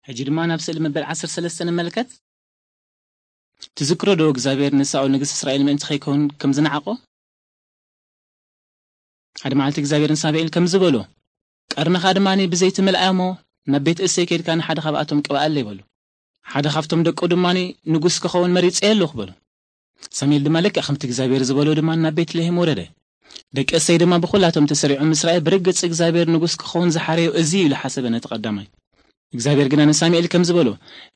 ሕጂ ድማ ናብ ስእሊ መበል ዓሰርተ ሰለስተ ንመልከት። ትዝክሮ ዶ እግዚኣብሔር ንሳኦል ንግስ እስራኤል ምእንቲ ከይከውን ከም ዝነዓቖ? ሓደ መዓልቲ እግዚኣብሔር ንሳሙኤል ከም ዝበሎ፣ ቀርንኻ ድማ ብዘይቲ ምልኣዮ እሞ ናብ ቤት እሰይ ከይድካ ንሓደ ካብኣቶም ቅብኣለይ በሎ። ሓደ ካብቶም ደቁ ድማ ንጉስ ክኸውን መሪጸ ኣለኹ በሎ። ሳሙኤል ድማ ልክዕ ከምቲ እግዚኣብሔር ዝበሎ ድማ ናብ ቤት ልሄም ወረደ። ደቂ እሰይ ድማ ብኹላቶም ተሰሪዖም ምስራኤል ብርግጽ እግዚኣብሔር ንጉስ ክኸውን ዝሓረዮ እዚ እዩ ኢሉ ሓሰበ ነቲ ቀዳማይ። እግዚኣብሔር ግና ንሳሙኤል ከም ዝበሎ፣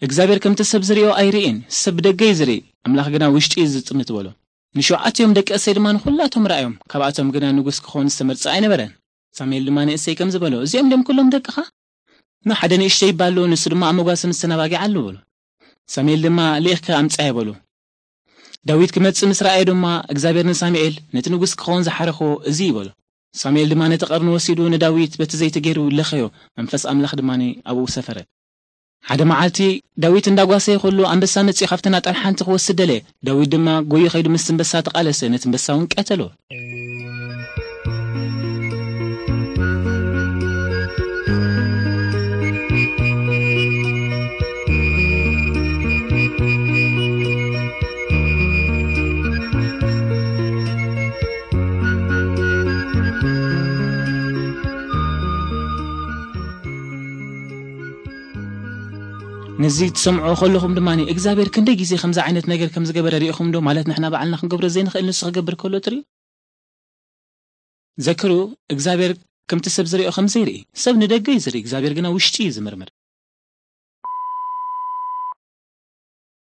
እግዚኣብሔር ከምቲ ሰብ ዝርእዮ ኣይርእን፣ ሰብ ብደገ እዩ ዝርኢ፣ ኣምላኽ ግና ውሽጢ እዩ ዝጥምት በሎ። ንሸውዓቲኦም ደቂ እሰይ ድማ ንኹላቶም ረኣዮም፣ ካብኣቶም ግና ንጉስ ክኸውን ዝተመርጸ ኣይነበረን። ሳሙኤል ድማ ንእሰይ ከም ዝበሎ፣ እዚኦም ድም ኩሎም ደቅኻ? ኖ ሓደ ንእሽተይ ይባሉ፣ ንሱ ድማ ኣብ መጓሰ ምስ ተናባጊ ኣሉ በሎ። ሳሙኤል ድማ ልኢኽካ ኣምጻየ በሎ። ዳዊት ክመጽእ ምስ ረኣየ ድማ እግዚኣብሔር ንሳሙኤል ነቲ ንጉስ ክኸውን ዝሓረኽዎ እዚ እዩ በሎ። ሳሙኤል ድማ ነቲ ቀርኒ ወሲዱ ንዳዊት በቲ ዘይቲ ገይሩ ለኸዮ፣ መንፈስ ኣምላኽ ድማ ኣብኡ ሰፈረ። ሓደ መዓልቲ ዳዊት እንዳጓሰየ ከሎ ኣንበሳ መጺኡ ካብተን ኣጣል ሓንቲ ክወስድ ደለየ። ዳዊት ድማ ጎዩ ከይዱ ምስ ኣንበሳ ተቓለሰ፣ ነቲ ኣንበሳ እውን ቀተሎ። ነዚ ትሰምዑ ከለኹም ድማ እግዚኣብሔር ክንደይ ግዜ ከምዚ ዓይነት ነገር ከም ዝገበረ ርኢኹም ዶ? ማለት ንሕና ባዕልና ክንገብሮ ዘይንኽእል ንሱ ክገብር ከሎ ትርኢ። ዘክሩ፣ እግዚኣብሔር ከምቲ ሰብ ዝሪኦ ከም ዘይርኢ። ሰብ ንደገ እዩ ዝርኢ፣ እግዚኣብሔር ግና ውሽጢ እዩ ዝምርምር።